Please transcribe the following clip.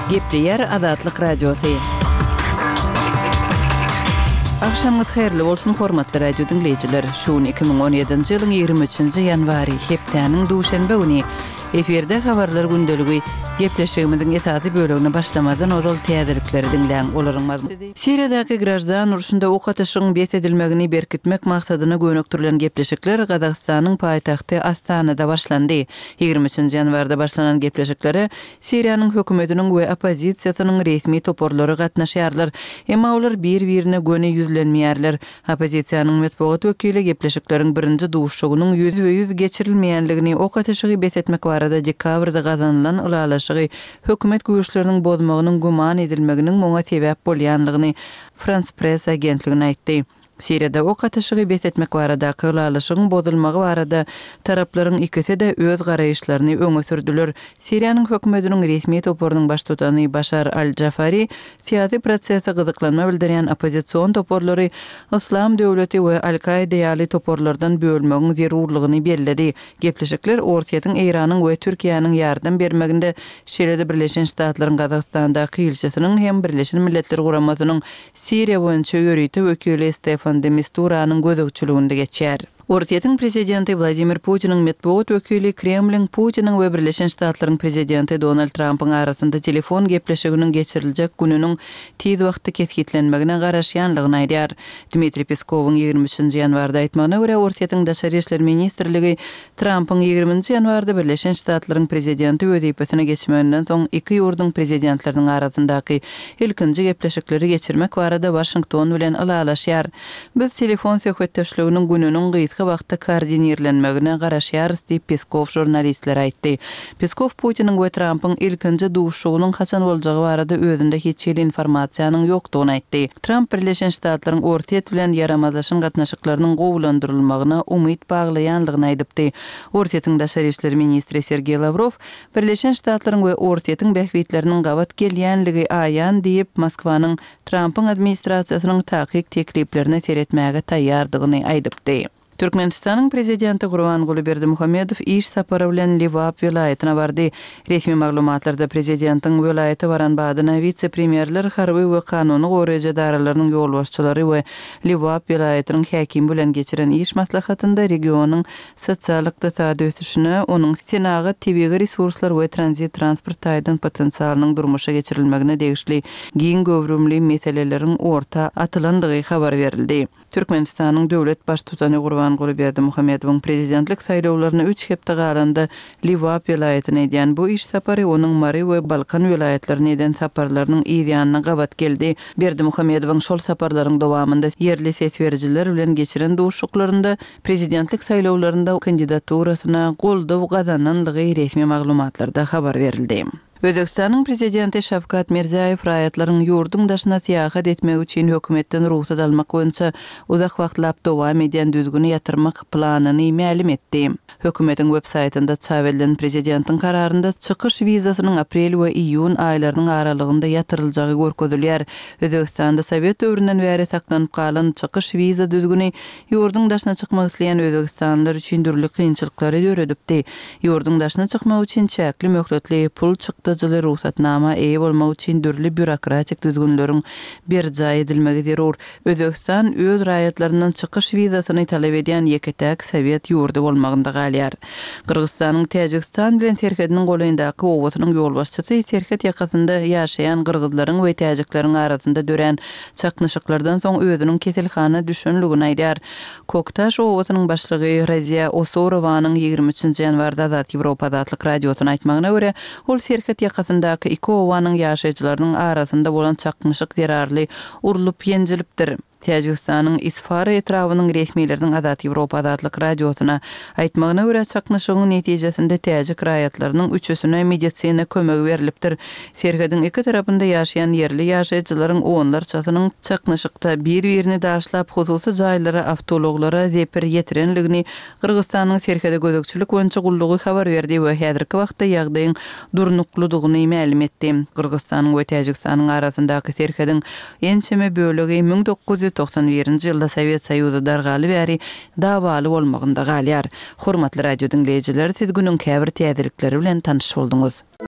Gepleýär Azatlyk Radiosy. Agşamyňyz haýyrly bolsun, hormatly radio diňleýjiler! Şu gün 2017-nji ýylyň 23-nji ýanwary, hepdäniň duşenbe güni. Efirde Habarlar gündeligi. Gepleşigimiziň esasy bölegine başlamazdan ozal täzelikleri diňläň. Olaryň mazmuny. Siriýadaky graždan urşunda ok atyşygyň bes edilmegini berkitmek maksadyna gönükdirilen gepleşikler Gazagystanyň paýtagty Astanada başlandy. Ýigrimi üçünji ýanwarda başlanan gepleşiklere Siriýanyň hökümetiniň we oppozisiýasynyň resmi toparlary gatnaşýarlar. Emma olar bir-birine göni ýüzlenmeýärler. Oppozisiýanyň metbugat wekili gepleşikleriň birinji duşuşygynyň ýüzbe-ýüz geçirilmeýänligini, ok atyşygy bes etmek barada dekabrda gazanylan ylalaşygy hökümet güýçleriniň bozmagynyň güman edilmeginiň muňa sebäp bolýanlygyny Frans Press agentligine aýtdy. Siriýada ok atyşygy bes etmek baradaky ylalaşygyň bozulmagy barada taraplaryň ikisi-de öz garaýyşlaryny öňe sürdüler. Siriýanyň hökümetiniň resmi toparynyň baştutany Başar al-Jafari syýasy prosese gyzyklanma bildirýän oppozision toparlary Yslam döwleti we Al-Kaida ýaly toparlardan bölmegiň zerurlygyny belledi. Gepleşikler Orsýetiň, Eýranyň we Türkiýäniň ýardam bermeginde, şeýle-de Birleşen Ştatlaryň Gazagystandaky ilçisiniň hem Birleşen Milletler Guramasynyň Siriýa boýunça ýörite wekili Stefan de Misturanyň gözegçiliginde geçýär. Orsýetiň prezidenti Wladimir Putiniň metbugat wekili Kremliň Putiniň we Birleşen Ştatlaryň prezidenti Donald Trampyň arasynda telefon gepleşiginiň geçiriljek gününiň tiz wagtda kesgitlenmegine garaşýanlygyny aýdýar. Dmitriý Peskowyň ýigrimi üçünji ýanwarda aýtmagyna görä, Orsýetiň Daşary işler ministrligi Trampyň ýigriminji ýanwarda Birleşen Ştatlaryň prezidenti wezipesine geçmeginden soň iki ýurduň prezidentleriniň arasyndaky ilkinji gepleşikleri geçirmek barada Waşington bilen ylalaşýar. Biz telefon söhbetdeşliginiň gününiň gysga wagtda koordinirlenmegine garaşýarys diýip, Peskow žurnalistlere aýtdy. Peskow Putiniň we Trampyň ilkinji duşuşygynyň haçan boljagy barada özünde hiç hili informasiýanyň ýokdugyny aýtdy. Tramp Birleşen Ştatlaryň Orsýet bilen ýaramazlaşan gatnaşyklarynyň gowulandyrylmagyna umyt baglaýanlygyny aýdypdy. Orsýetiň daşary işler ministri Sergeý Lawrow Birleşen Ştatlaryň we Orsýetiň bähbitleriniň gabat gelýänligi aýan diýip, Moskwanyň Trampyň administrasiýasynyň takyk tekliplerine seretmäge taýýardygyny aýdypdy. Türkmenistanyň Prezidenti Gurbanguly Berdimuhamedow iş sapary bilen Lebap welaýatyna bardy. Resmi maglumatlarda prezidentiň welaýata baran badyna wise-premýerler, harby we kanuny goraýjy edaralarynyň ýolbaşçylary we Lebap welaýatynyň häkimi bilen geçiren iş maslahatynda regionyň sosial-ykdysady ösüşine, onuň senagat, tebigy resurslar we tranzit-transport taýdan potensialynyň durmuşa geçirilmegine degişli giň göwrümli meseleleriň orta atylandygy habar berildi. Türkmenistanyň döwlet Baştutany Gurbanguly Berdimuhamedowyň prezidentlik saýlawlaryna üç hepde galanda Lebap welaýatyna edýän bu iş sapary onuň Mary we Balkan welaýatlaryna eden saparlarynyň yz ýanyna gabat geldi. Berdimuhamedowyň şol saparlaryň dowamynda ýerli ses berijiler bilen geçiren duşuşyklarynda prezidentlik saýlawlarynda kandidaturasyna goldaw gazananlygy resmi maglumatlarda habar berildi. Özbegistanyň Prezidenti Şawkat Mirziýaýew raýatlaryň ýurduň daşyna syýahat etmegi üçin hökümetden rugsat almak boýunça uzak wagtlap dowam edýän düzgüni ýatyrmak planyny mälim etdi. Hökümetiň web saýtynda çap edilen prezidentiň kararynda çykyş wizasynyň aprel we iýun aýlarynyň aralygynda ýatyryljagy görkezilýär. Özbegistanda sowet döwründen bäri saklanyp galan çykyş wiza düzgüni Ýurduň daşyna çykmak isleýän özbegistanlylar üçin dürli kynçylyklary döredipdi. Ýurduň daşyna çykmak üçin çäkli möhletli, pul çykdajyly rugsatnama eýe bolmak üçin dürli býurokratik düzgünleriň berjaý edilmegi zerur. Özbegistan öz raýatlaryndan çykyş wizasyny talap edýän ýeke-täk sowet ýurdy bolmagynda galýar. Gyrgyzystanyň Täjigistan bilen serhediniň golaýyndaky obasynyň ýolbaşçysy serhet ýakasynda ýaşaýan gyrgyzlaryň we täjikleriň arasynda dörän Çaknyşyklardan soň özüniň keselhana düşenligini aýdýar. Koktaş obasynyň başlygy Raziýa Osorowanyň ýigrimi üçünji ýanwarda Azat Ýewropa Azatlyk Radiosyna aýtmagyna görä, ol serhet ýakasyndaky iki obanyň ýaşaýjylarynyň arasynda bolan çaknyşyk zerarly urlup-ýenjilipdir. Täjigistanyň Isfara etrabynyň resmileriniň Azat Ýewropa Azatlyk Radiosyna aýtmagyna görä, çaknyşygyň netijesinde täjik raýatlarynyň üçüsine medisina kömegi berlipdir. Serhediň iki tarapynda ýaşaýan ýerli ýaşaýjylaryň onlarçasynyň çaknyşykda bir-birini daşlap, hususy jaýlara, awtoulaglara zeper ýetirenligini Gyrgyzystanyň Serhede gözegçilik boýunça gullugy habar berdi we häzirki wagtda ýagdaýyň durnuklydygyny mälim etdi. Gyrgyzystanyň we Täjigistanyň arasyndaky serhediň ençeme bölegi 1991-nji ýylda Sowet Soýuzy dargaly bäri dawaly bolmagynda galýar. Hormatly radio diňleýjiler, siz günüň käbir täzelikleri bilen tanyş bolduňyz.